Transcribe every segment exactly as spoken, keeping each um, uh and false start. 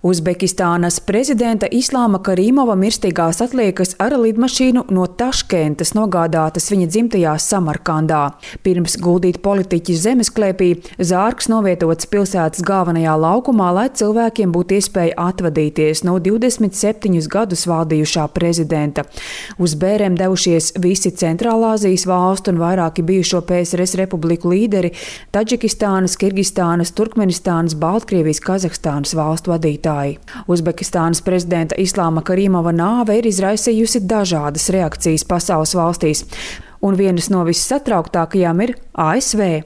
Uzbekistānas prezidenta Islāma Karimova mirstīgās atliekas ar lidmašīnu no Taškentas nogādātas viņa dzimtajā Samarkandā. Pirms guldīt politiķi zemesklēpī, zārks novietots pilsētas galvenajā laukumā, lai cilvēkiem būtu iespēja atvadīties no divdesmit septiņus gadus valdījušā prezidenta. Uz bērēm devušies visi Centrālāzijas valstu un vairāki bijušo P S R S republiku līderi – Taģikistānas, Kirgistānas, Turkmenistānas, Baltkrievijas, Kazahstānas valstu vadītāji. Uzbekistānas prezidenta Islāma Karimova nāve ir izraisījusi dažādas reakcijas pasaules valstīs, un vienas no vissatrauktākajām ir A S V.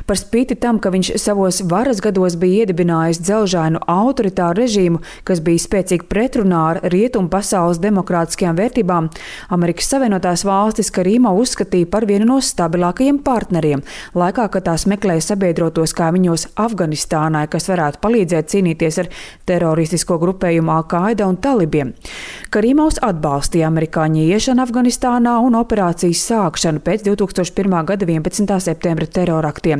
Par spīti tam, ka viņš savos varas gados bija iedibinājis dzelžainu autoritāru režīmu, kas bija spēcīgi pretrunā ar rietumu pasaules demokrātiskajām vērtībām, Amerikas Savienotās valstis Karimovu uzskatīja par vienu no stabilākajiem partneriem, laikā, kad tās meklēja sabiedrotos kaimiņos Afganistānai, kas varētu palīdzēt cīnīties ar teroristisko grupējumu Al-Qaida un talibiem. Karimovs atbalstīja amerikāņu iešanu Afganistānā un operācijas sākšanu pēc divtūkstoš pirmā gada vienpadsmitā septembra teroraktiem,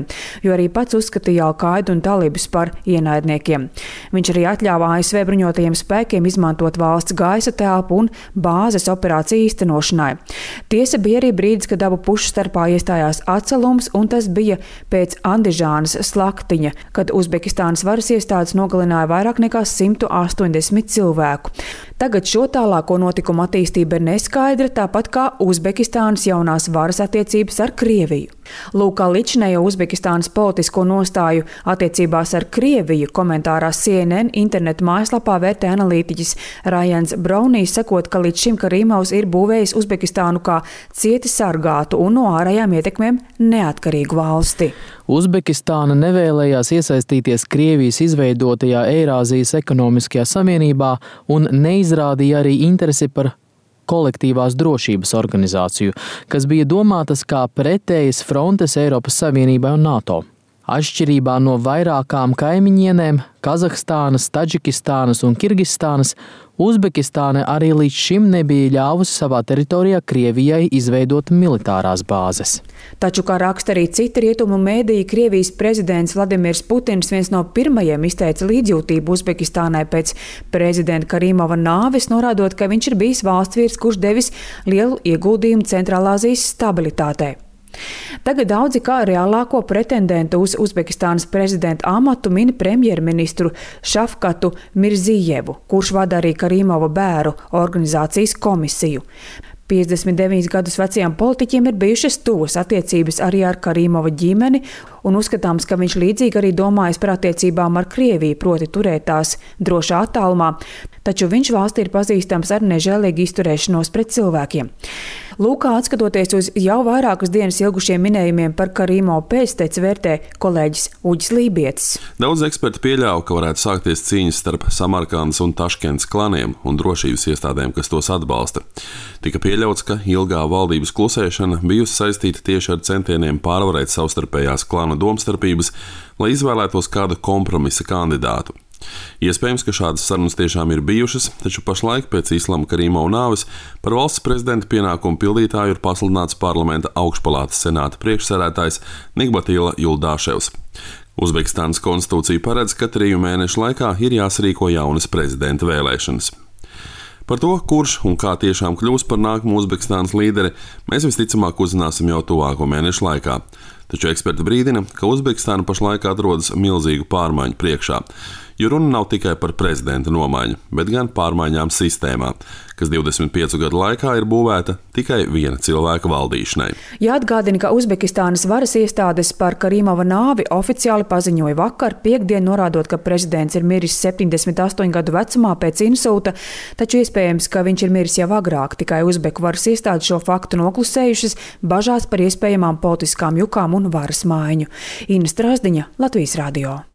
jo arī pats uzskatīja Al-Qaidu un talibus par ienaidniekiem. Viņš arī atļāva A S V bruņotajiem spēkiem izmantot valsts gaisa telpu un bāzes operāciju īstenošanai. Tiesa bija arī brīdis, kad abu pušu starpā iestājās atcelums, un tas bija pēc Andižānas slaktiņa, kad Uzbekistānas varas iestādes nogalināja vairāk nekā simtu astoņdesmit cilvēku. Tagad šo tālāko notikumu attīstība ir neskaidra, tāpat kā Uzbekistānas jaunās varas attiecības ar Krieviju. Lūk, kā līdzinējo Uzbekistānas politisko nostāju attiecībās ar Krieviju komentārā C N N internetu mājaslapā vērtē analītiķis Rajans Braunijs, sakot, ka līdz šim Karimovs ir būvējis Uzbekistānu kā cieti sargātu un no ārējām ietekmēm neatkarīgu valsti. Uzbekistāna nevēlējās iesaistīties Krievijas izveidotajā Eirāzijas ekonomiskajā savienībā un neizrādīja arī interesi par kolektīvās drošības organizāciju, kas bija domātas kā pretējas frontes Eiropas Savienībai un NATO. Atšķirībā no vairākām kaimiņienēm Kazahstānas, Taģikistānas un Kirgistānas, Uzbekistāna arī līdz šim nebija ļāvusi savā teritorijā Krievijai izveidot militārās bāzes. Taču, kā raksta arī citi rietumu mēdīji, Krievijas prezidents Vladimirs Putins viens no pirmajiem izteica līdzjūtību Uzbekistānai pēc prezidenta Karimova nāves, norādot, ka viņš ir bijis valstsvīrs, kurš devis lielu ieguldījumu Centrālāzijas stabilitātei. Tagad daudzi kā reālāko pretendentu uz Uzbekistānas prezidenta amatu min premjerministru Šafkatu Mirzijevu, kurš vada arī Karimova bēru organizācijas komisiju. piecdesmit deviņus gadus vecajam politiķim ir bijušas tuvas attiecības arī ar Karimova ģimeni, un uzskatāms, ka viņš līdzīgi arī domājis par attiecībām ar Krieviju, proti turēt tās drošā attālumā, taču viņš valstī ir pazīstams ar nežēlīgu izturēšanos pret cilvēkiem. Lūk, atskatoties uz jau vairākas dienas ilgušiem minējumiem par Karimovu pēcteci, vērtē kolēģis Uģis Lībietis. Daudz eksperti pieļauj, ka varētu sākties cīņas starp Samarkandas un Taškentas klaniem un drošības iestādēm, kas tos atbalsta. Tika pieļauts, ka ilgā valdības klusēšana bijusi saistīta tieši ar centieniem pārvarēt savstarpējās klanu domstarpības, lai izvēlētos kādu kompromisa kandidātu. Iespējams, ka šādas sarunas tiešām ir bijušas, taču pašlaik pēc Islāma Karimova nāves par valsts prezidenta pienākumu pildītāju ir pasludināts parlamenta augšpalātas senāta priekšsēdētājs Nigbatila Juldāševs. Uzbekistānas konstitūcija paredz, ka triju mēnešu laikā ir jāsarīko jaunas prezidenta vēlēšanas. Par to, kurš un kā tiešām kļūs par nākamo Uzbekistānas līderi, mēs visticamāk uzzināsim jau tuvāko mēnešu laikā. Taču eksperti brīdina, ka Uzbekistāna pašlaik atrodas milzīgu pārmaiņu priekšā, jo runa nav tikai par prezidenta nomaiņu, bet gan pārmaiņām sistēmā, kas divdesmit piecu gadu laikā ir būvēta tikai viena cilvēka valdīšanai. Jāatgādina, ka Uzbekistānas varas iestādes par Karimova nāvi oficiāli paziņoja vakar, piekdien, norādot, ka prezidents ir miris septiņdesmit astoņu gadu vecumā pēc insulta, taču iespējams, ka viņš ir miris jau agrāk, tikai Uzbeku varas iestādes šo faktu noklusējušas, bažās par iespējamām politiskām jukām un varas maiņu. Ina Strasdiņa, Latvijas radio.